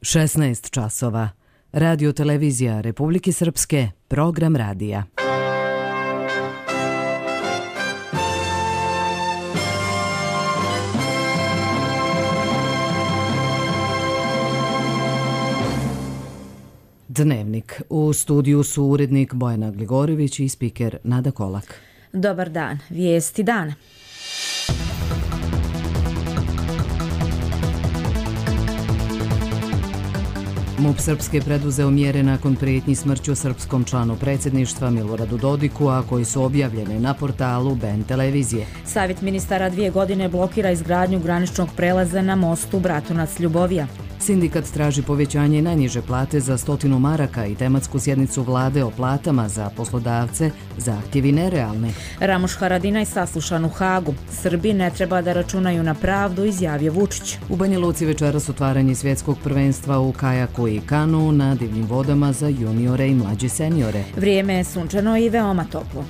16 časova. Radio televizija Republike Srpske, program radija. Dnevnik. U studiju su urednik Bojana Gligorović i spiker Nada Kolak. Dobar dan. Vijesti dana. MUP Srpske preduzeo mjere nakon prijetnji smrću srpskom članu predsjedništva Miloradu Dodiku, a koji su objavljene na portalu BN televizije. Savjet ministara 2 godine blokira izgradnju graničnog prelaza na mostu Bratunac-Ljubovija. Sindikat traži povećanje najniže plate za 100 maraka i tematsku sjednicu vlade o platama za poslodavce, zahtjevi nerealni. Ramuš Haradinaj saslušan u Hagu. Srbi ne treba da računaju na pravdu, izjavio Vučić. U Banja Luci večeras otvaranje svjetskog prvenstva u kajaku i kanu na divljim vodama za juniore i mlađe seniore. Vrijeme je sunčano i veoma toplo.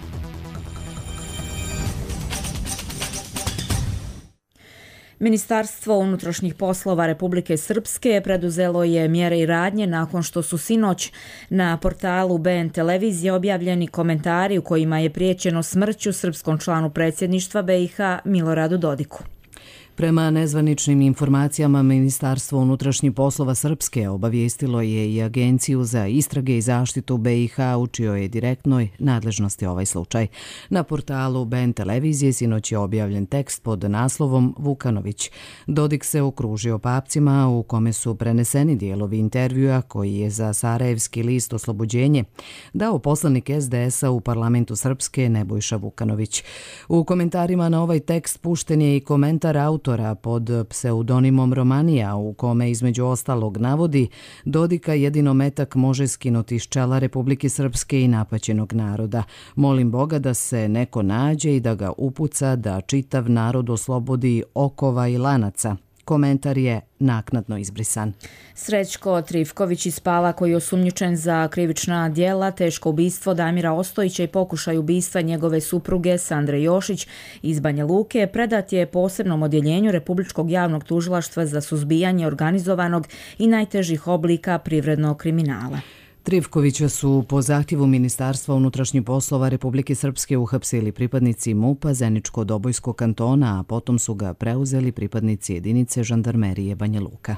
Ministarstvo unutrašnjih poslova Republike Srpske preduzelo je mjere i radnje nakon što su sinoć na portalu BN televizije objavljeni komentari u kojima je prijećeno smrću srpskom članu predsjedništva BiH Miloradu Dodiku. Prema nezvaničnim informacijama, Ministarstvo unutrašnjih poslova Srpske obavijestilo je i Agenciju za istrage i zaštitu BiH u čijoj je direktnoj nadležnosti ovaj slučaj. Na portalu BN televizije sinoć je objavljen tekst pod naslovom Vukanović. Dodik se okružio papcima u kome su preneseni dijelovi intervjua koji je za sarajevski list Oslobođenje dao poslanik SDS-a u parlamentu Srpske Nebojša Vukanović. U komentarima na ovaj tekst pušten je i komentar autora pod pseudonimom Romanija, u kome između ostalog navodi: Dodika jedino metak može skinuti iz čela Republike Srpske i napaćenog naroda. Molim Boga da se neko nađe i da ga upuca da čitav narod oslobodi okova i lanaca. Komentar je naknadno izbrisan. Srećko Trifković iz Pala, koji je osumnjičen za krivična djela, teško ubistvo Damira Ostojića i pokušaj ubistva njegove supruge Sandre Jošić iz Banja Luke, predat je posebnom odjeljenju Republičkog javnog tužilaštva za suzbijanje organizovanog i najtežih oblika privrednog kriminala. Trifkovića su po zahtjevu Ministarstva unutrašnjih poslova Republike Srpske uhapsili pripadnici MUP-a Zeničko-Dobojskog kantona, a potom su ga preuzeli pripadnici jedinice žandarmerije Banja Luka.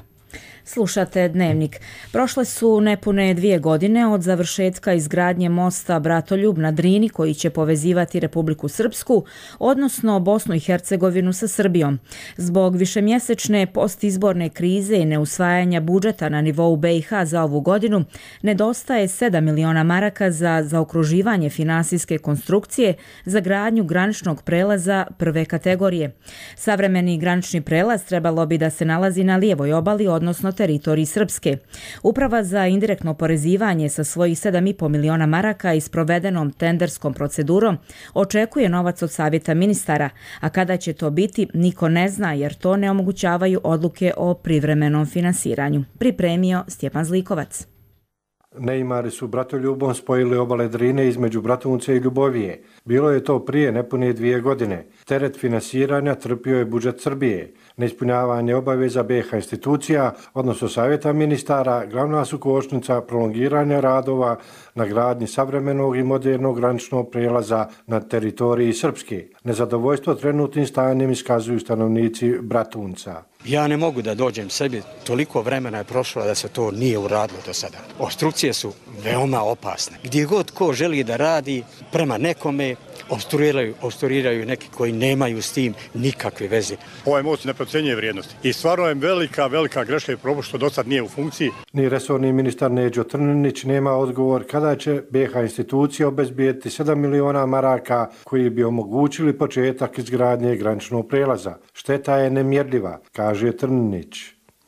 Slušate Dnevnik. Prošle su nepune 2 godine od završetka izgradnje mosta Bratoljub na Drini, koji će povezivati Republiku Srpsku, odnosno Bosnu i Hercegovinu sa Srbijom. Zbog višemjesečne postizborne krize i neusvajanja budžeta na nivou BiH za ovu godinu, nedostaje 7 miliona maraka za zaokruživanje finansijske konstrukcije za gradnju graničnog prelaza prve kategorije. Savremeni granični prelaz trebalo bi da se nalazi na lijevoj obali, odnosno teritoriji Srpske. Uprava za indirektno oporezivanje sa svojih 7,5 miliona maraka i s provedenom tenderskom procedurom očekuje novac od savjeta ministara, a kada će to biti niko ne zna, jer to ne omogućavaju odluke o privremenom finansiranju. Pripremio Stjepan Zlikovac. Neimari su Bratoljubom spojili obale Drine između Bratunce i Ljubovije. Bilo je to prije nepune 2 godine. Teret finansiranja trpio je budžet Srbije. Neispunjavanje obaveza BiH institucija, odnosno savjeta ministara, glavna su kočnica prolongiranja radova na gradnji savremenog i modernog graničnog prijelaza na teritoriji Srpske. Nezadovoljstvo trenutnim stanjem iskazuju stanovnici Bratunca. Ja ne mogu da dođem sebi, toliko vremena je prošlo da se to nije uradilo do sada. Opstrukcije su veoma opasne. Gdje god ko želi da radi prema nekome, opstruiraju neki koji nemaju s tim nikakve veze. Ovaj most ne procenjuje vrijednosti i stvarno je velika greška i propust što do sad nije u funkciji. Ni resorni ministar Neđo Trninić nema odgovor kada će BiH institucije obezbijeti 7 miliona maraka koji bi omogućili početak izgradnje graničnog prelaza. Šteta je nemjerljiva, kaže Trninić.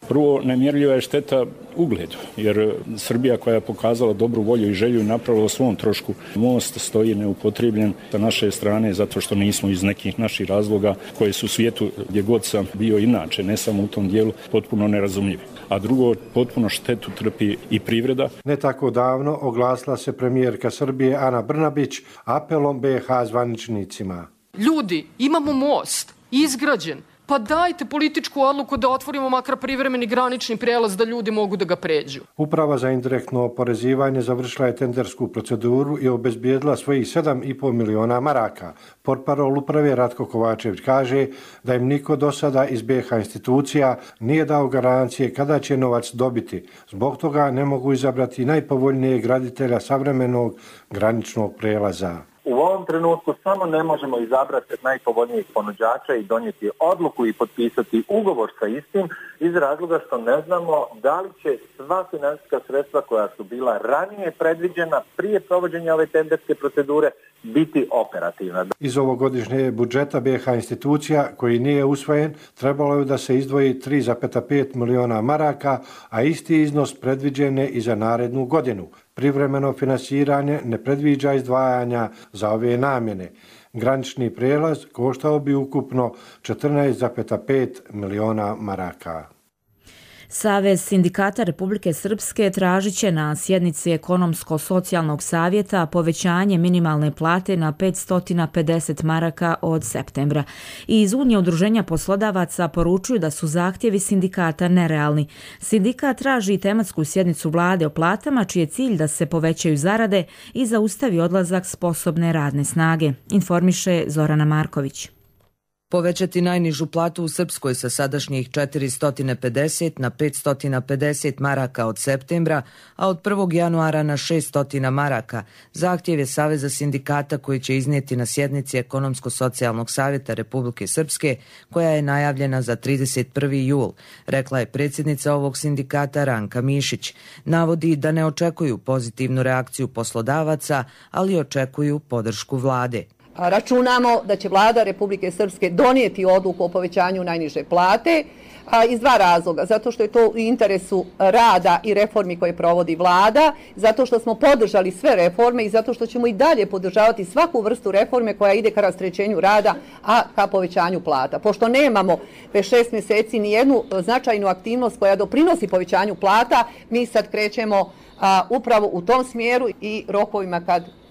Prvo, nemjerljiva je šteta ugledu, jer Srbija koja je pokazala dobru volju i želju i napravila o svom trošku most stoji neupotrebljen sa naše strane zato što nismo iz nekih naših razloga koje su u svijetu gdje god sam bio inače, ne samo u tom dijelu, potpuno nerazumljivi. A drugo, potpuno štetu trpi i privreda. Ne tako davno oglasila se premijerka Srbije Ana Brnabić apelom BiH zvaničnicima. Ljudi, imamo most, izgrađen, pa dajte političku odluku da otvorimo makar privremeni granični prelaz da ljudi mogu da ga pređu. Uprava za indirektno oporezivanje završila je tendersku proceduru i obezbijedila svojih 7,5 miliona maraka. Portparol uprave Ratko Kovačević kaže da im niko do sada iz BiH institucija nije dao garancije kada će novac dobiti. Zbog toga ne mogu izabrati najpovoljnijeg graditelja savremenog graničnog prelaza. U ovom trenutku samo ne možemo izabrati najpovoljnijeg ponuđača i donijeti odluku i potpisati ugovor sa istim iz razloga što ne znamo da li će sva financijska sredstva koja su bila ranije predviđena prije provođenja ove tenderske procedure biti operativna. Iz ovogodišnjeg budžeta BiH institucija koji nije usvojen trebalo je da se izdvoji 3,5 miliona maraka, a isti iznos predviđen je i za narednu godinu. Privremeno finansiranje ne predviđa izdvajanja za ove namjene. Granični prijelaz koštao bi ukupno 14,5 miliona maraka. Savez sindikata Republike Srpske tražit će na sjednici Ekonomsko-socijalnog savjeta povećanje minimalne plate na 550 maraka od septembra. I iz Unije udruženja poslodavaca poručuju da su zahtjevi sindikata nerealni. Sindikat traži tematsku sjednicu vlade o platama čiji je cilj da se povećaju zarade i zaustavi odlazak sposobne radne snage, informiše Zorana Marković. Povećati najnižu platu u Srpskoj sa sadašnjih 450 na 550 maraka od septembra, a od 1. januara na 600 maraka. Zahtjev je Saveza sindikata koji će iznijeti na sjednici Ekonomsko-socijalnog savjeta Republike Srpske, koja je najavljena za 31. jul, rekla je predsjednica ovog sindikata Ranka Mišić. Navodi da ne očekuju pozitivnu reakciju poslodavaca, ali očekuju podršku vlade. Računamo da će vlada Republike Srpske donijeti odluku o povećanju najniže plate iz dva razloga. Zato što je to u interesu rada i reformi koje provodi vlada, zato što smo podržali sve reforme i zato što ćemo i dalje podržavati svaku vrstu reforme koja ide ka rasterećenju rada, a ka povećanju plata. Pošto nemamo već 6 mjeseci ni jednu značajnu aktivnost koja doprinosi povećanju plata, mi sad krećemo upravo u tom smjeru i rokovima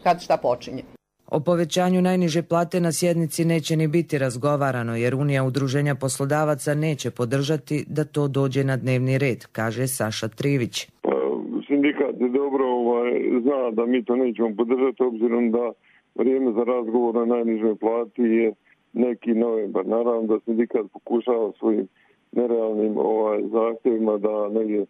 kad šta počinje. O povećanju najniže plate na sjednici neće ni biti razgovarano jer Unija udruženja poslodavaca neće podržati da to dođe na dnevni red, kaže Saša Trivić. Sindikat je dobro zna da mi to nećemo podržati obzirom da vrijeme za razgovor na najnižoj plati je neki novembar. Naravno da sindikat pokušava svojim nerealnim zahtjevima da negdje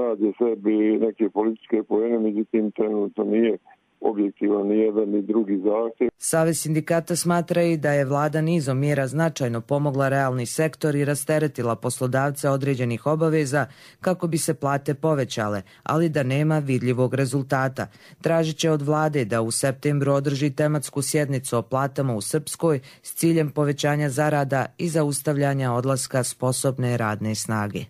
nađe sebi neke političke poene, međutim trenutno nije objektivan ni jedan ni drugi zahtjev. Savez sindikata smatra i da je vlada nizom mjera značajno pomogla realni sektor i rasteretila poslodavce određenih obaveza kako bi se plate povećale, ali da nema vidljivog rezultata. Tražit će od vlade da u septembru održi tematsku sjednicu o platama u Srpskoj s ciljem povećanja zarada i zaustavljanja odlaska sposobne radne snage.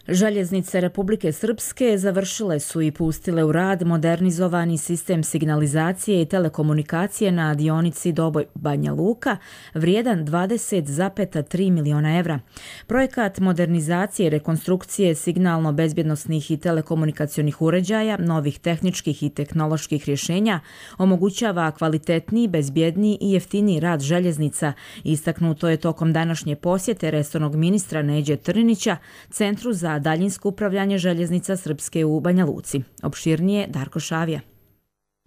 Željeznice Republike Srpske završile su i pustile u rad modernizovani sistem signalizacije i telekomunikacije na dionici Doboj-Banja Luka, vrijedan 20,3 miliona evra. Projekat modernizacije i rekonstrukcije signalno-bezbjednosnih i telekomunikacionih uređaja, novih tehničkih i tehnoloških rješenja omogućava kvalitetniji, bezbjedniji i jeftiniji rad željeznica. Istaknuto je tokom današnje posjete resornog ministra Neđe Trninića Centru za daljinsko upravljanje željeznica Srpske u Banja Luci. Opširnije Darko Šavija.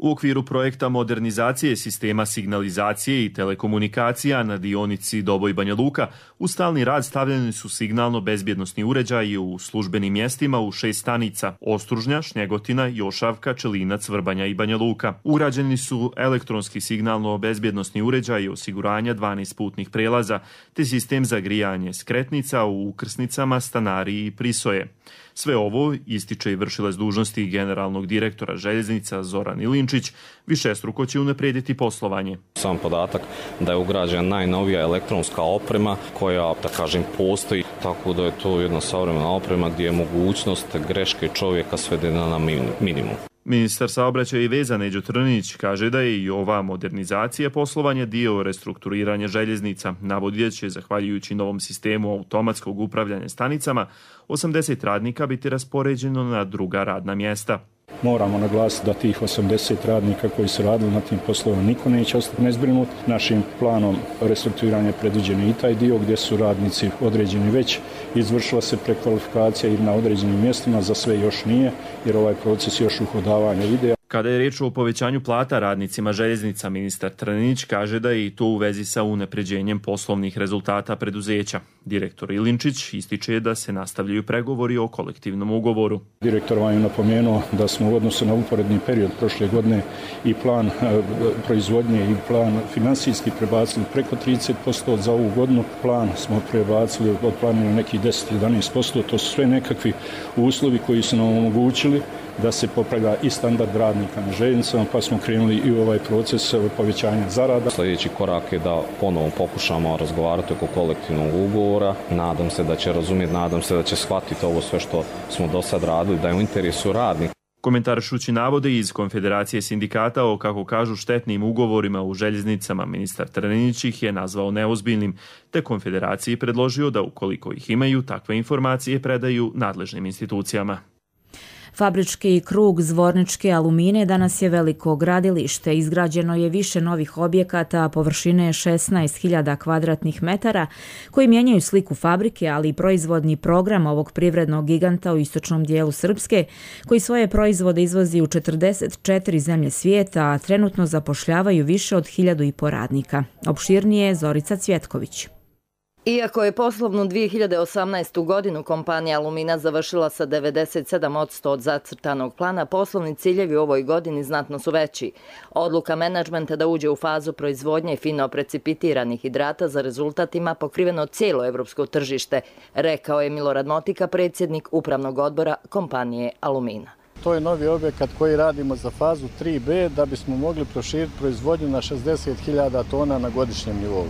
U okviru projekta modernizacije sistema signalizacije i telekomunikacija na dionici Doboj-Banja Luka u stalni rad stavljeni su signalno-bezbjednosni uređaji u službenim mjestima u 6 stanica: Ostružnja, Šnjegotina, Jošavka, Čelinac, Vrbanja i Banja Luka. Urađeni su elektronski signalno-bezbjednosni uređaji osiguranja 12 putnih prelaza te sistem za grijanje skretnica u ukrsnicama Stanari i Prisoje. Sve ovo ističe i vršilac dužnosti generalnog direktora željeznica Zoran Ilinčić, višestruko će unaprijediti poslovanje. Sam podatak da je ugrađena najnovija elektronska oprema koja, da kažem, postoji, tako da je to jedna savremena oprema gdje je mogućnost greške čovjeka svedena na minimum. Ministar saobraćaja i veza Neđo Trninić kaže da je i ova modernizacija poslovanja dio restrukturiranja željeznica. Navodi da će, zahvaljujući novom sistemu automatskog upravljanja stanicama, 80 radnika biti raspoređeno na druga radna mjesta. Moramo naglasiti da tih 80 radnika koji su radili na tim poslovima niko neće ostati nezbrinut. Našim planom restrukturiranja predviđen i taj dio gdje su radnici određeni već, izvršila se prekvalifikacija i na određenim mjestima, za sve još nije, jer ovaj proces još uhodavanja ide. Kada je riječ o povećanju plata radnicima željeznica, ministar Trninić kaže da je i to u vezi sa unapređenjem poslovnih rezultata preduzeća. Direktor Ilinčić ističe da se nastavljaju pregovori o kolektivnom ugovoru. Direktor vam je napomenuo da smo u odnosu na uporedni period prošle godine i plan proizvodnje i plan finansijski prebacili preko 30%, za ovu godinu plan smo prebacili od planira nekih 10-11%, to su sve nekakvi uslovi koji su nam omogućili da se popravlja i standard radnika na željeznicama, pa smo krenuli i u ovaj proces povećanja zarada. Sljedeći korak je da ponovo pokušamo razgovarati oko kolektivnog ugovora. Nadam se da će razumjeti, nadam se da će shvatiti ovo sve što smo do sad radili, da je u interesu radnika. Komentaršući navode iz Konfederacije sindikata o, kako kažu, štetnim ugovorima u željeznicama, ministar Trninić ih je nazvao neozbiljnim, te Konfederaciji predložio da ukoliko ih imaju, takve informacije predaju nadležnim institucijama. Fabrički krug Zvorničke Alumine danas je veliko gradilište. Izgrađeno je više novih objekata površine 16.000 kvadratnih metara koji mijenjaju sliku fabrike, ali i proizvodni program ovog privrednog giganta u istočnom dijelu Srpske, koji svoje proizvode izvozi u 44 zemlje svijeta, a trenutno zapošljavaju više od 1.500 radnika. Opširnije Zorica Cvjetković. Iako je poslovnu 2018. godinu kompanija Alumina završila sa 97% od zacrtanog plana, poslovni ciljevi u ovoj godini znatno su veći. Odluka menadžmenta da uđe u fazu proizvodnje fino precipitiranih hidrata za rezultat ima pokriveno cijelo evropsko tržište, rekao je Milorad Motika, predsjednik upravnog odbora kompanije Alumina. To je novi objekat koji radimo za fazu 3B da bismo mogli proširiti proizvodnju na 60.000 tona na godišnjem nivou.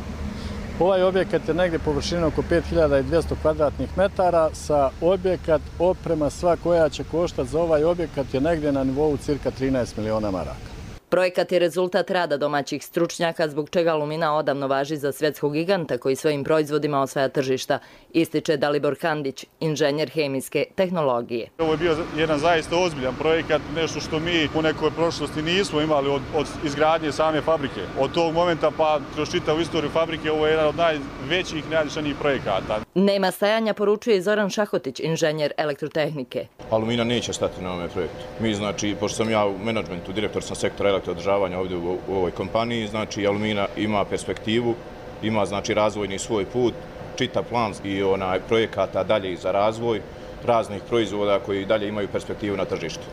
Ovaj objekat je negdje površina oko 5200 kvadratnih metara, sa objekat oprema sva koja će koštati za ovaj objekat je negdje na nivou cirka 13 miliona maraka. Projekat je rezultat rada domaćih stručnjaka, zbog čega Alumina odavno važi za svjetskog giganta koji svojim proizvodima osvaja tržišta, ističe Dalibor Kandić, inženjer hemijske tehnologije. Ovo je bio jedan zaista ozbiljan projekat, nešto što mi u nekoj prošlosti nismo imali od izgradnje same fabrike. Od tog momenta pa kroz čitavu istoriju fabrike ovo je jedan od najvećih i najvišanijih projekata. Nema stajanja, poručuje Zoran Šahotić, inženjer elektrotehnike. Alumina neće stati na ovome projektu. Mi, znači, pošto sam ja u menadžmentu, direktor sam sektora elektroodržavanja ovdje u ovoj kompaniji, znači Alumina ima perspektivu, ima znači razvojni svoj put, čitav plan i projekata dalje za razvoj raznih proizvoda koji dalje imaju perspektivu na tržištu.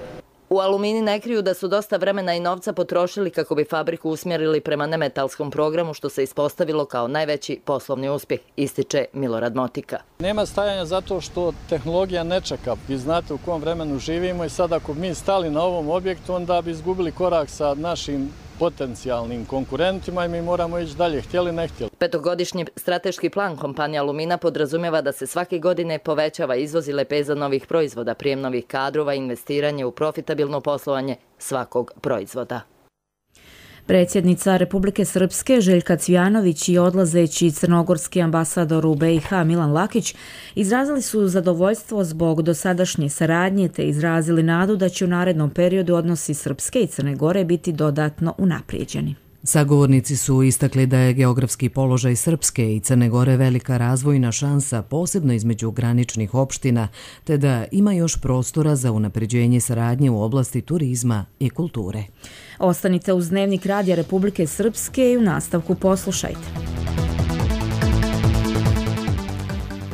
U Alumini ne kriju da su dosta vremena i novca potrošili kako bi fabriku usmjerili prema nemetalskom programu, što se ispostavilo kao najveći poslovni uspjeh, ističe Milorad Motika. Nema stajanja zato što tehnologija ne čeka. Vi znate u kom vremenu živimo i sad ako mi stali na ovom objektu, onda bi izgubili korak sa našim potencijalnim konkurentima i mi moramo ići dalje, htjeli ne htjeli. Petogodišnji strateški plan kompanije Alumina podrazumijeva da se svake godine povećava izvoz i lepeza novih proizvoda, prijem novih kadrova i investiranje u profitabilno poslovanje svakog proizvoda. Predsjednica Republike Srpske Željka Cvijanović i odlazeći crnogorski ambasador u BiH Milan Lakić izrazili su zadovoljstvo zbog dosadašnje saradnje te izrazili nadu da će u narednom periodu odnosi Srpske i Crne Gore biti dodatno unaprijeđeni. Sagovornici su istakli da je geografski položaj Srpske i Crne Gore velika razvojna šansa, posebno između graničnih opština, te da ima još prostora za unapređenje saradnje u oblasti turizma i kulture. Ostanite uz Dnevnik Radija Republike Srpske i u nastavku poslušajte.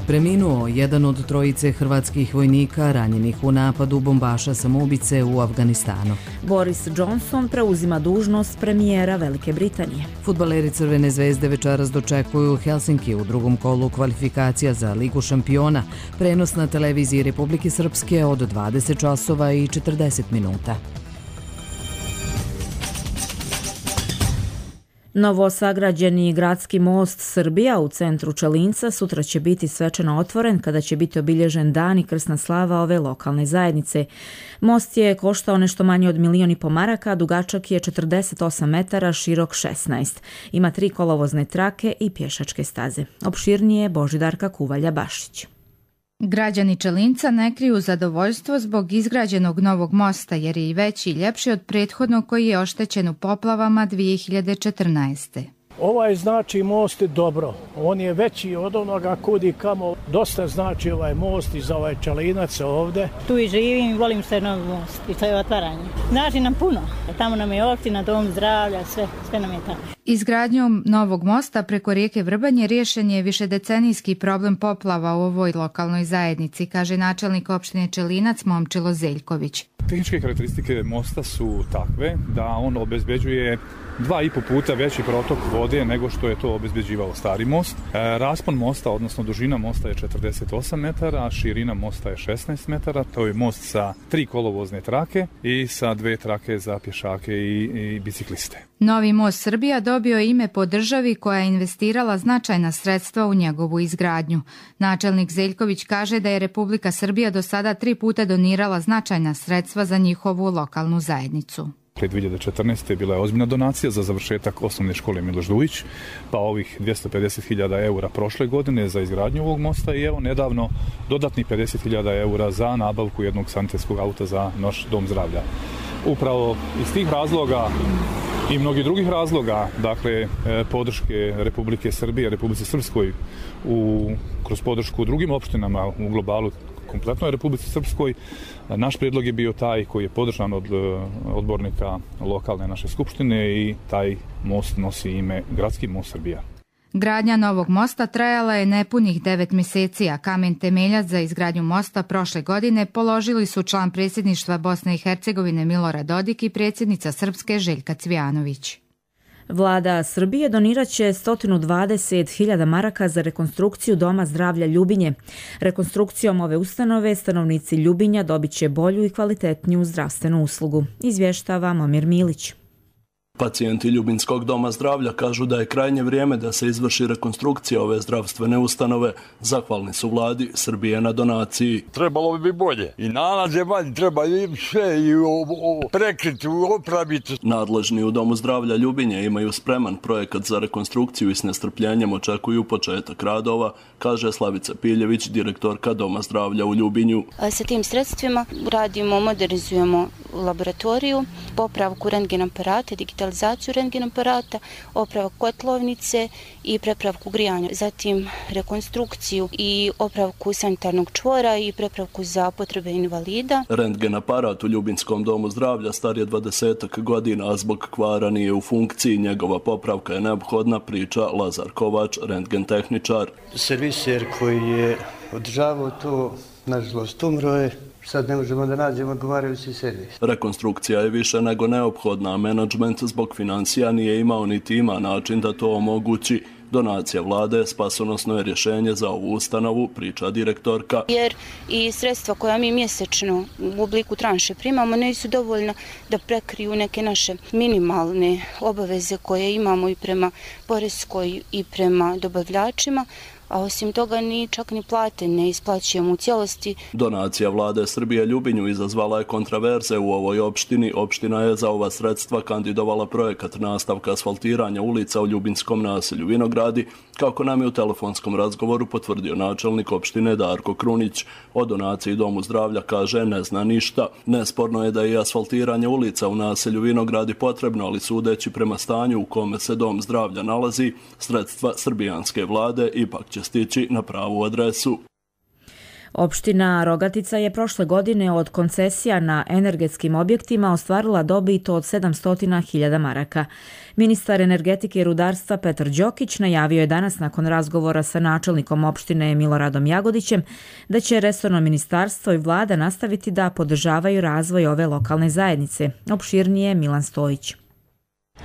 Preminuo jedan od trojice hrvatskih vojnika ranjenih u napadu bombaša samoubice u Afganistanu. Boris Johnson preuzima dužnost premijera Velike Britanije. Fudbaleri Crvene zvezde večeras dočekuju Helsinki u drugom kolu kvalifikacija za Ligu šampiona. Prenos na televiziji Republike Srpske od 20 časova i 40 minuta. Novosagrađeni gradski most Srbija u centru Čelinca sutra će biti svečano otvoren kada će biti obilježen dan i krsna slava ove lokalne zajednice. Most je koštao nešto manje od 1,5 miliona maraka, dugačak je 48 metara, širok 16. Ima 3 kolovozne trake i pješačke staze. Opširnije Božidarka Kuvalja-Bašić. Građani Čelinca ne kriju zadovoljstvo zbog izgrađenog novog mosta jer je i veći i ljepši od prethodnog koji je oštećen u poplavama 2014. Ovaj znači most je dobro, on je veći od onoga kudi kamo, dosta znači ovaj most i za ovaj Čelinac ovde. Tu i živim i volim se novi most i to je otvaranje. Znači nam puno, tamo nam je opština, dom zdravlja, sve nam je tamo. Izgradnjom novog mosta preko rijeke Vrbanje riješen je višedecenijski problem poplava u ovoj lokalnoj zajednici, kaže načelnik opštine Čelinac Momčilo Zeljković. Tehničke karakteristike mosta su takve da on obezbeđuje 2,5 puta veći protok vode nego što je to obezbeđivao stari most. Raspon mosta, odnosno dužina mosta je 48 metara, a širina mosta je 16 metara. To je most sa 3 kolovozne trake i sa 2 trake za pješake i bicikliste. Novi most Srbija dobio je ime po državi koja je investirala značajna sredstva u njegovu izgradnju. Načelnik Zeljković kaže da je Republika Srbija do sada 3 puta donirala značajna sredstva za njihovu lokalnu zajednicu. 2014. bila je ozbiljna donacija za završetak osnovne škole Miloš Dujić, pa ovih 250.000 eura prošle godine za izgradnju ovog mosta i evo nedavno dodatnih 50.000 eura za nabavku jednog sanitetskog auta za naš dom zdravlja. Upravo iz tih razloga i mnogih drugih razloga, dakle podrške Republike Srbije, Republici Srpskoj kroz podršku drugim opštinama u globalu, kompletnoj Republici Srpskoj, naš prijedlog je bio taj koji je podržan od odbornika lokalne naše skupštine i taj most nosi ime Gradski most Srbija. Gradnja novog mosta trajala je nepunih 9 mjeseci, a kamen temeljac za izgradnju mosta prošle godine položili su član predsjedništva Bosne i Hercegovine Milorad Dodik i predsjednica Srpske Željka Cvijanović. Vlada Srbije donirat će 120.000 maraka za rekonstrukciju Doma zdravlja Ljubinje. Rekonstrukcijom ove ustanove stanovnici Ljubinja dobit će bolju i kvalitetniju zdravstvenu uslugu, izvještava Momir Milić. Pacijenti Ljubinskog doma zdravlja kažu da je krajnje vrijeme da se izvrši rekonstrukcija ove zdravstvene ustanove. Zahvalni su vladi Srbije na donaciji. Trebalo bi bolje. I nalaze valj treba i sve i prekriti, opraviti. Nadležni u domu zdravlja Ljubinje imaju spreman projekat za rekonstrukciju i s nestrpljenjem očekuju početak radova, kaže Slavica Piljević, direktorka doma zdravlja u Ljubinju. Sa tim sredstvima radimo, modernizujemo laboratoriju, popravku rentgen aparata, digitalizaciju rentgen aparata, opravak kotlovnice i prepravku grijanja. Zatim rekonstrukciju i opravku sanitarnog čvora i prepravku za potrebe invalida. Rentgen aparat u Ljubinskom domu zdravlja star je 20 godina, a zbog kvara nije u funkciji. Njegova popravka je neophodna, priča Lazar Kovač, rentgen tehničar. Serviser koji je održavao to, nažalost, umro je. Sad ne možemo da nađemo odgovarajući servis. Rekonstrukcija je više nego neophodna, a menadžment zbog financija nije imao niti ima način da to omogući. Donacija vlade spasonosno je rješenje za ovu ustanovu, priča direktorka. Jer i sredstva koja mi mjesečno u obliku tranše primamo nisu dovoljna da prekriju neke naše minimalne obaveze koje imamo i prema poreskoj i prema dobavljačima, a osim toga ni čak ni plate ne isplaćujemo u cijelosti. Donacija vlade Srbije Ljubinju izazvala je kontraverze u ovoj opštini. Opština je za ova sredstva kandidovala projekat nastavka asfaltiranja ulica u ljubinskom naselju Vinogradi, kako nam je u telefonskom razgovoru potvrdio načelnik opštine Darko Krunić. O donaciji domu zdravlja kaže ne zna ništa. Nesporno je da je asfaltiranje ulica u naselju Vinogradi potrebno, ali sudeći prema stanju u kome se dom zdravlja nalazi, sredstva srbijanske vlade ipak će stići na pravu adresu. Opština Rogatica je prošle godine od koncesija na energetskim objektima ostvarila dobit od 700.000 maraka. Ministar energetike i rudarstva Petar Đokić najavio je danas nakon razgovora sa načelnikom opštine Miloradom Jagodićem da će resorno ministarstvo i vlada nastaviti da podržavaju razvoj ove lokalne zajednice. Opširnije Milan Stojić.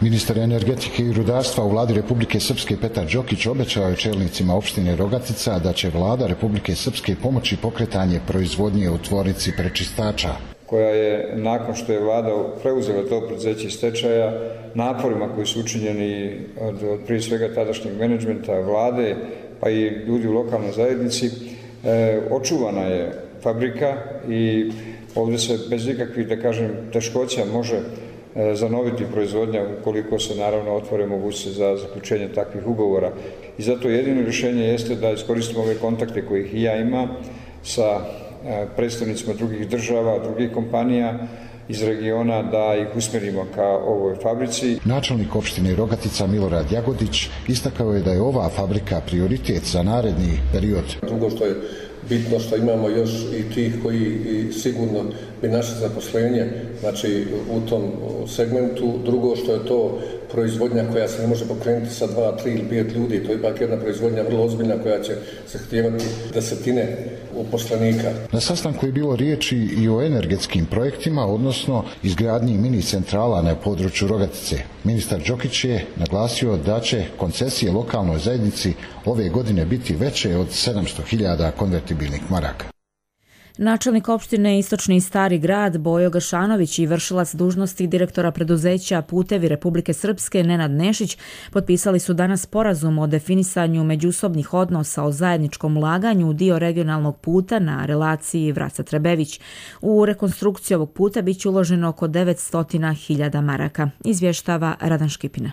Ministar energetike i rudarstva u vladi Republike Srpske Petar Đokić obećao je čelnicima opštine Rogatica da će vlada Republike Srpske pomoći pokretanje proizvodnje u tvornici prečistača, koja je nakon što je vlada preuzela to preduzeće iz stečaja, naporima koji su učinjeni od prije svega tadašnjeg menadžmenta vlade pa i ljudi u lokalnoj zajednici, očuvana je fabrika i ovdje se bez ikakvih, da kažem, teškoća može zanoviti proizvodnja ukoliko se naravno otvore mogućnosti za zaključenje takvih ugovora. I zato jedino rješenje jeste da iskoristimo ove kontakte koje i ja imam sa predstavnicima drugih država, drugih kompanija iz regiona da ih usmjerimo ka ovoj fabrici. Načelnik opštine Rogatica Milorad Jagodić istakao je da je ova fabrika prioritet za naredni period. Drugo što je bitno što imamo još i tih koji sigurno bi naše zaposlenje, znači u tom segmentu. Drugo što je to proizvodnja koja se ne može pokrenuti sa 2, 3 ili 5 ljudi, to je ipak jedna proizvodnja vrlo ozbiljna koja će zahtijevati desetine uposlenika. Na sastanku je bilo riječi i o energetskim projektima, odnosno izgradnji mini centrala na području Rogatice. Ministar Đokić je naglasio da će koncesije lokalnoj zajednici ove godine biti veće od 700.000 konvertibilnih maraka. Načelnik opštine Istočni Stari Grad Bojo Gašanović i vršilac dužnosti direktora preduzeća Putevi Republike Srpske Nenad Nešić potpisali su danas sporazum o definisanju međusobnih odnosa o zajedničkom ulaganju u dio regionalnog puta na relaciji Vraca-Trebević. U rekonstrukciju ovog puta biće uloženo oko 900.000 maraka, izvještava Radan Škipina.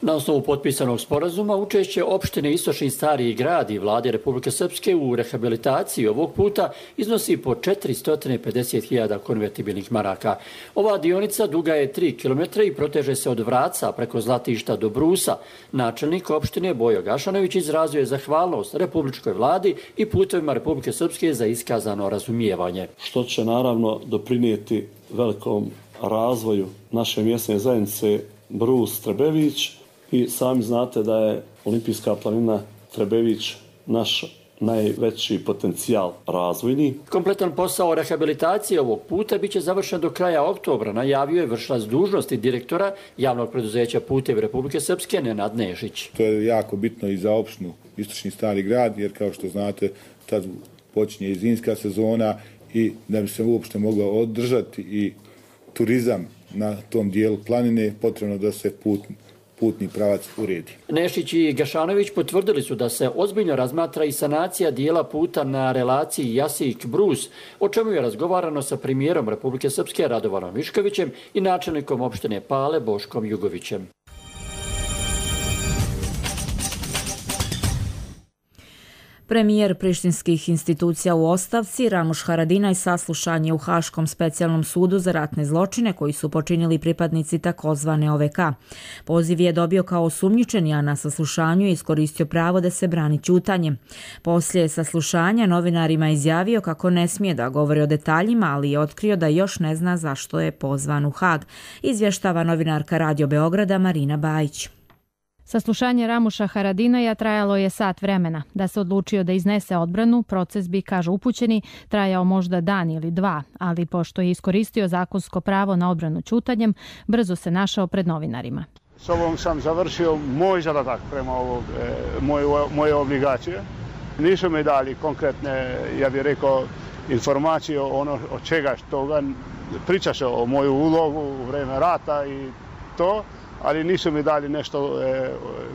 Na osnovu potpisanog sporazuma učešće opštine Istočni Stari Grad i vlade Republike Srpske u rehabilitaciji ovog puta iznosi po 450.000 konvertibilnih maraka. Ova dionica duga je 3 km i proteže se od Vraca preko Zlatišta do Brusa. Načelnik opštine Bojo Gašanović izrazio je zahvalnost Republičkoj vladi i Putevima Republike Srpske za iskazano razumijevanje. Što će naravno doprinijeti velikom razvoju naše mjesne zajednice Brus-Trebević. I sami znate da je olimpijska planina Trebević naš najveći potencijal razvojni. Kompletan posao rehabilitacije ovog puta biće završen do kraja oktobra, najavio je vršilac dužnosti direktora javnog preduzeća Putevi Republike Srpske Nenad Nešić. To je jako bitno i za opštinu Istočni Stari Grad, jer kao što znate tad počinje i zimska sezona i da bi se uopšte moglo održati i turizam na tom dijelu planine, potrebno da se putni pravac uredi. Nešić i Gašanović potvrdili su da se ozbiljno razmatra i sanacija dijela puta na relaciji Jasik-Brus, o čemu je razgovarano sa premijerom Republike Srpske Radovanom Viškovićem i načelnikom opštine Pale Boškom Jugovićem. Premijer prištinskih institucija u ostavci Ramuš Haradinaj saslušan je u Haškom specijalnom sudu za ratne zločine koji su počinili pripadnici takozvane OVK. Poziv je dobio kao osumnjičeni, a na saslušanju je iskoristio pravo da se brani ćutanjem. Poslije saslušanja novinarima izjavio kako ne smije da govori o detaljima, ali je otkrio da još ne zna zašto je pozvan u Hag. Izvještava novinarka Radio Beograda Marina Bajić. Saslušanje Ramuša Haradinaja trajalo je sat vremena. Da se odlučio da iznese odbranu, proces bi, kažu upućeni, trajao možda dan ili dva, ali pošto je iskoristio zakonsko pravo na odbranu ćutanjem, brzo se našao pred novinarima. S ovom sam završio moj zadatak prema moje obligacije. Nisu mi dali konkretne, ja bih rekao, informacije o čega toga. Pričaše o moju ulogu u vreme rata i to, ali nisu mi dali nešto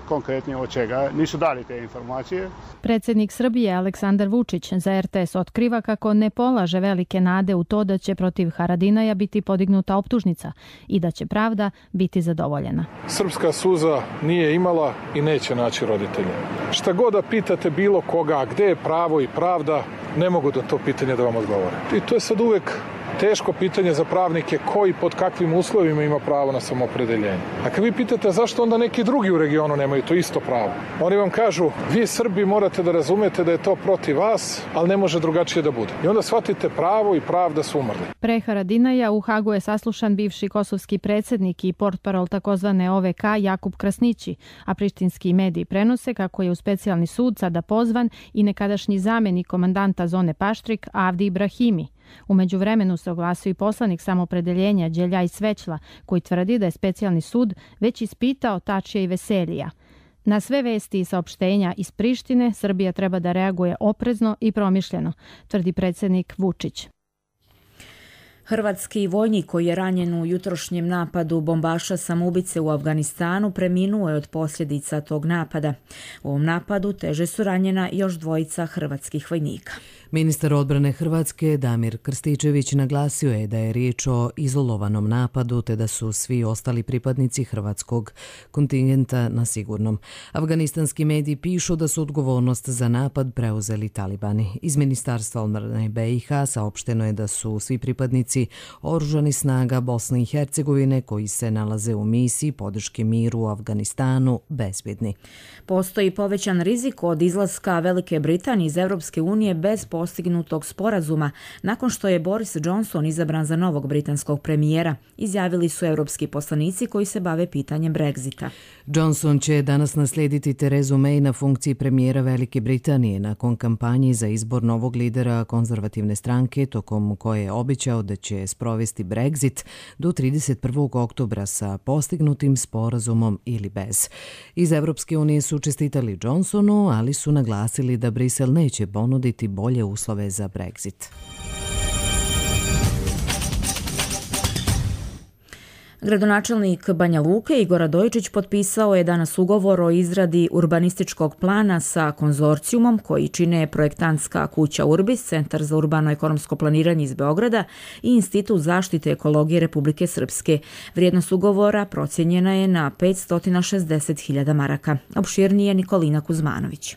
konkretnije od čega. Nisu dali te informacije. Predsjednik Srbije Aleksandar Vučić za RTS otkriva kako ne polaže velike nade u to da će protiv Haradinaja biti podignuta optužnica i da će pravda biti zadovoljena. Srpska suza nije imala i neće naći roditelje. Šta god da pitate bilo koga, gde je pravo i pravda, ne mogu da to pitanje da vam odgovore. I to je sad uvek teško pitanje za pravnike koji pod kakvim uslovima ima pravo na samoopredeljenje. A kad vi pitate zašto onda neki drugi u regionu nemaju to isto pravo, oni vam kažu vi Srbi morate da razumete da je to protiv vas, ali ne može drugačije da bude. I onda shvatite pravo i pravda su umrli. Pre Haradinaja u Hagu je saslušan bivši kosovski predsjednik i portparol takozvane OVK Jakub Krasnići, a prištinski mediji prenose kako je u specijalni sud sada pozvan i nekadašnji zamenik komandanta zone Paštrik Avdi Ibrahimi. U međuvremenu se oglasio i poslanik samoopredeljenja Đeljaj Svećla, koji tvrdi da je specijalni sud već ispitao Tačija i Veselija. Na sve vesti i saopštenja iz Prištine Srbija treba da reaguje oprezno i promišljeno, tvrdi predsjednik Vučić. Hrvatski vojnik koji je ranjen u jutrošnjem napadu bombaša samoubice u Afganistanu preminuo je od posljedica tog napada. U ovom napadu teže su ranjena još dvojica hrvatskih vojnika. Ministar odbrane Hrvatske Damir Krstičević naglasio je da je riječ o izolovanom napadu te da su svi ostali pripadnici hrvatskog kontingenta na sigurnom. Afganistanski mediji pišu da su odgovornost za napad preuzeli talibani. Iz Ministarstva odbrane BiH saopšteno je da su svi pripadnici oružanih snaga Bosne i Hercegovine koji se nalaze u misiji podrške miru u Afganistanu bezbjedni. Postoji povećan rizik od izlaska Velike Britanije iz Europske unije bez postignutog sporazuma nakon što je Boris Johnson izabran za novog britanskog premijera, izjavili su europski poslanici koji se bave pitanjem Brexita. Johnson će danas naslijediti Terezu May na funkciji premijera Velike Britanije nakon kampanje za izbor novog lidera konzervativne stranke tokom koje je obećao da će sprovesti Brexit do 31. oktobra sa postignutim sporazumom ili bez. Iz Europske unije su čestitali Johnsonu, ali su naglasili da Brisel neće ponuditi bolje uslove za Brexit. Gradonačelnik Banja Luke Igor Radojičić potpisao je danas ugovor o izradi urbanističkog plana sa konzorcijumom koji čine projektantska kuća Urbis, Centar za urbano-ekonomsko planiranje iz Beograda i Institut zaštite ekologije Republike Srpske. Vrijednost ugovora procijenjena je na 560.000 maraka. Opširnije Nikolina Kuzmanović.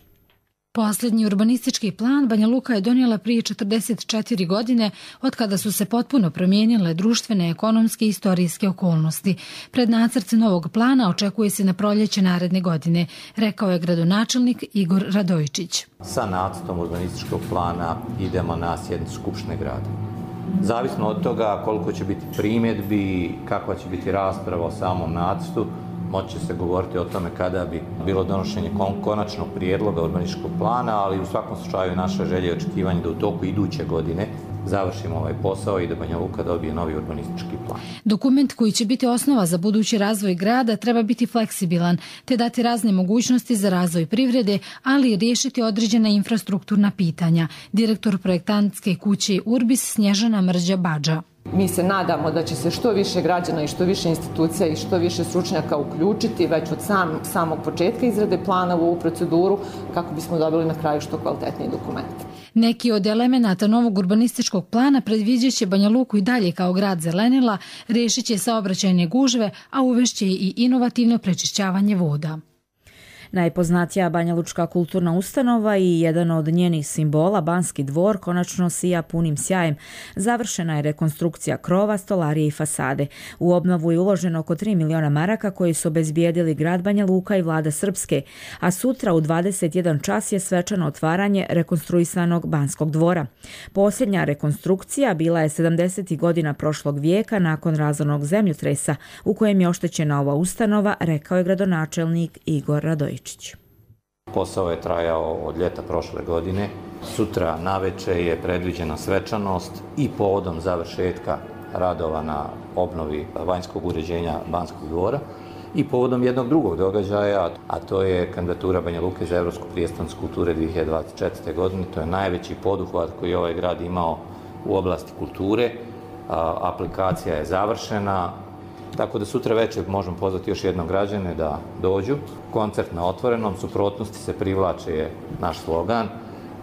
Posljednji urbanistički plan Banja Luka je donijela prije 44 godine od kada su se potpuno promijenile društvene, ekonomske i istorijske okolnosti. Pred nacrt novog plana očekuje se na proljeće naredne godine, rekao je gradonačelnik Igor Radojičić. Sa nacrtom urbanističkog plana idemo na sjednicu Skupštine grada. Zavisno od toga koliko će biti primjedbi, kakva će biti rasprava o samom nacrtu, moći će se govoriti o tome kada bi bilo donošenje konačnog prijedloga urbanističkog plana, ali u svakom slučaju naša želja i očekivanje da u toku iduće godine završimo ovaj posao i da Banja Luka dobije novi urbanistički plan. Dokument koji će biti osnova za budući razvoj grada treba biti fleksibilan, te dati razne mogućnosti za razvoj privrede, ali i riješiti određena infrastrukturna pitanja. Direktor projektantske kuće Urbis Snježana Mrđa-Badža. Mi se nadamo da će se što više građana i što više institucija i što više stručnjaka uključiti već od samog početka izrade plana u ovu proceduru kako bismo dobili na kraju što kvalitetniji dokument. Neki od elemenata novog urbanističkog plana predviđaće Banja Luku i dalje kao grad zelenila, riješit će saobraćajne gužve, a uvešće i inovativno prečišćavanje voda. Najpoznatija banjalučka kulturna ustanova i jedan od njenih simbola, Banski dvor, konačno sija punim sjajem. Završena je rekonstrukcija krova, stolarije i fasade. U obnovu je uloženo oko 3 miliona maraka koji su obezbijedili grad Banja Luka i vlada Srpske, a sutra u 21 čas je svečano otvaranje rekonstruisanog Banskog dvora. Posljednja rekonstrukcija bila je 70. godina prošlog vijeka nakon razornog zemljotresa u kojem je oštećena ova ustanova, rekao je gradonačelnik Igor Radojičić. Posao je trajao od ljeta prošle godine. Sutra naveče je predviđena svečanost i povodom završetka radova na obnovi vanjskog uređenja Banskog dvora i povodom jednog drugog događaja, a to je kandidatura Banja Luke za Evropsku prijestolnicu kulture 2024. godine. To je najveći poduhvat koji je ovaj grad imao u oblasti kulture. Aplikacija je završena. Tako da sutra večer možemo pozvati još jednog građane da dođu. Koncert na otvorenom, suprotnosti se privlače je naš slogan,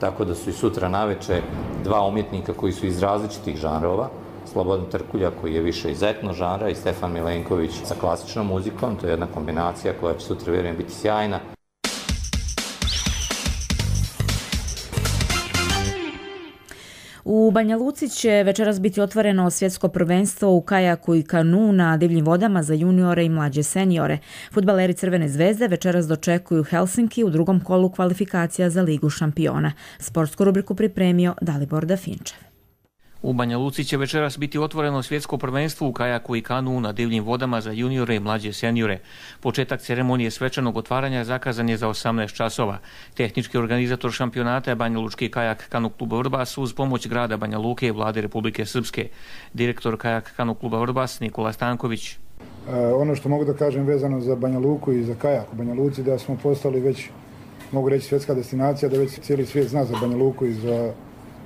tako da su i sutra naveče dva umjetnika koji su iz različitih žanrova, Slobodan Trkulja koji je više iz etno žanra i Stefan Milenković sa klasičnom muzikom, to je jedna kombinacija koja će sutra vjerujem biti sjajna. U Banja Luci će večeras biti otvoreno svjetsko prvenstvo u kajaku i kanu na divljim vodama za juniore i mlađe seniore. Fudbaleri Crvene zvezde večeras dočekuju Helsinki u drugom kolu kvalifikacija za Ligu šampiona. Sportsku rubriku pripremio Dalibor Dafinčev. U Banja Luci će večeras biti otvoreno svjetsko prvenstvo u kajaku i kanu na divljim vodama za juniore i mlađe seniore. Početak ceremonije svečanog otvaranja zakazan je za 18 časova. Tehnički organizator šampionata je Banja Lučki kajak kanu kluba Vrbas uz pomoć grada Banja Luke i vlade Republike Srpske. Direktor kajak kanu kluba Vrbas Nikola Stanković. Ono što mogu da kažem vezano za Banja Luku i za kajak u Banja Luci, da smo postali već, mogu reći, svjetska destinacija, da već cijeli svijet zna za Banja Luku i za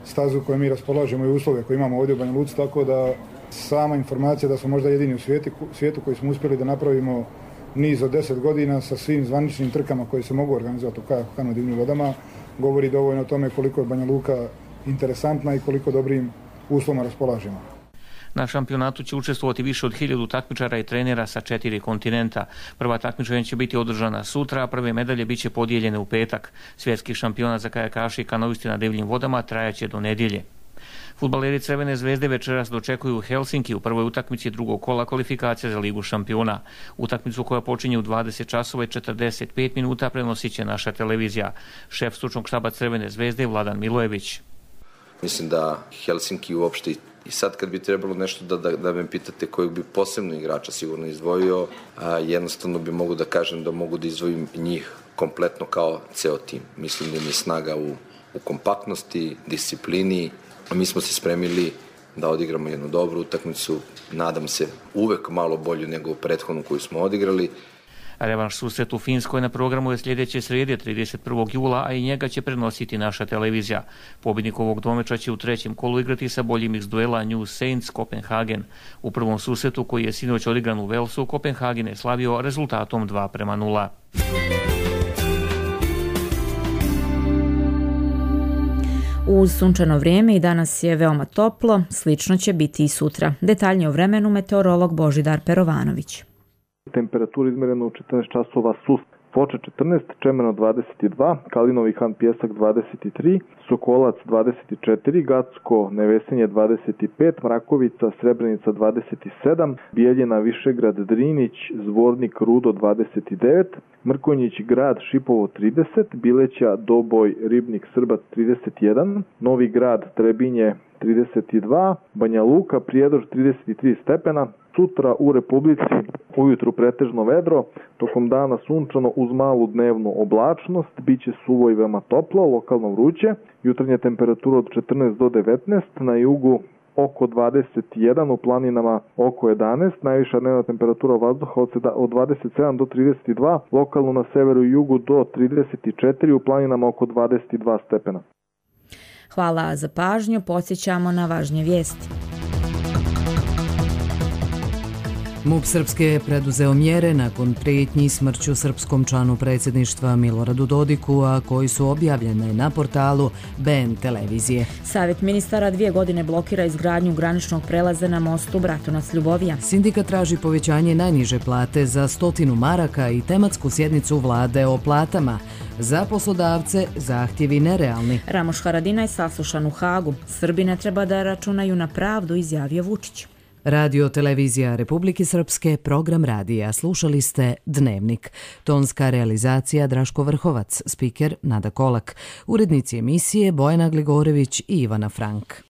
stazu koju mi raspolažemo i uslove koje imamo ovdje u Banja Luci, tako da sama informacija da smo možda jedini u svijetu koji smo uspjeli da napravimo niz od 10 godina sa svim zvaničnim trkama koje se mogu organizovati u kajaku kanu divljim vodama, govori dovoljno o tome koliko je Banja Luka interesantna i koliko dobrim uslovima raspolažemo. Na šampionatu će učestvovati više od 1000 takmičara i trenera sa 4 kontinenta. Prva takmičenja će biti održana sutra, a prve medalje bit će podijeljene u petak. Svjetski šampionat za kajakaše i kanoisti na divljim vodama trajaće do nedjelje. Fudbaleri Crvene zvezde večeras dočekuju Helsinki u prvoj utakmici drugog kola kvalifikacija za Ligu šampiona. Utakmicu koja počinje u 20 časova i 45 minuta prenosit će naša televizija. Šef stručnog štaba Crvene zvezde Vladan Milojević. Mislim da Helsinki uopšte i sad kad bi trebalo nešto da me pitate kojeg bi posebno igrača sigurno izdvojio, jednostavno bi mogu da kažem da mogu da izdvojim njih kompletno kao ceo tim. Mislim da im je snaga u kompaktnosti, disciplini. Mi smo se spremili da odigramo jednu dobru utakmicu, nadam se uvek malo bolju nego prethodnu koju smo odigrali. Revanš susret u Finskoj na programu je sljedeće srijede 31. jula, a i njega će prenositi naša televizija. Pobjednik ovog dvomeča će u trećem kolu igrati sa boljim iz duela New Saints Kopenhagen. U prvom susretu koji je sinoć odigran u Velsu, Kopenhagen je slavio rezultatom 2:0. Uz sunčano vrijeme i danas je veoma toplo, slično će biti i sutra. Detaljnije o vremenu meteorolog Božidar Perovanović. Temperatura izmerena u 14 časova su Foča 14, Čemeno 22, Kalinovi Han Pjesak 23, Sokolac 24, Gacko Nevesinje 25, Mrakovica Srebrenica 27, Bijeljina Višegrad Drinić, Zvornik Rudo 29, Mrkonjić Grad Šipovo 30, Bileća Doboj Ribnik Srbac 31, Novi Grad Trebinje 32, Banja Luka Prijedor 33 stepena. Sutra u Republici ujutru pretežno vedro, tokom dana sunčano uz malu dnevnu oblačnost, biće suvo i veoma toplo, lokalno vruće, jutarnja temperatura od 14 do 19, na jugu oko 21, u planinama oko 11, najviša dnevna temperatura vazduha od 27 do 32, lokalno na severu i jugu do 34, u planinama oko 22 stepena. Hvala za pažnju, podsjećamo na važnje vijesti. MUP Srpske je preduzeo mjere nakon prijetnji smrću srpskom članu predsjedništva Miloradu Dodiku, a koji su objavljene na portalu BN televizije. Savjet ministara 2 godine blokira izgradnju graničnog prelaza na mostu Bratunac-Ljubovija. Sindikat traži povećanje najniže plate za 100 maraka i tematsku sjednicu vlade o platama. Za poslodavce zahtjevi nerealni. Ramoš Haradinaj saslušan u Hagu. Srbi ne treba da računaju na pravdu, izjavio Vučić. Radio televizija Republike Srpske, program radija. Slušali ste Dnevnik. Tonska realizacija Draško Vrhovac, spiker Nada Kolak. Urednici emisije Bojana Gligorević i Ivana Frank.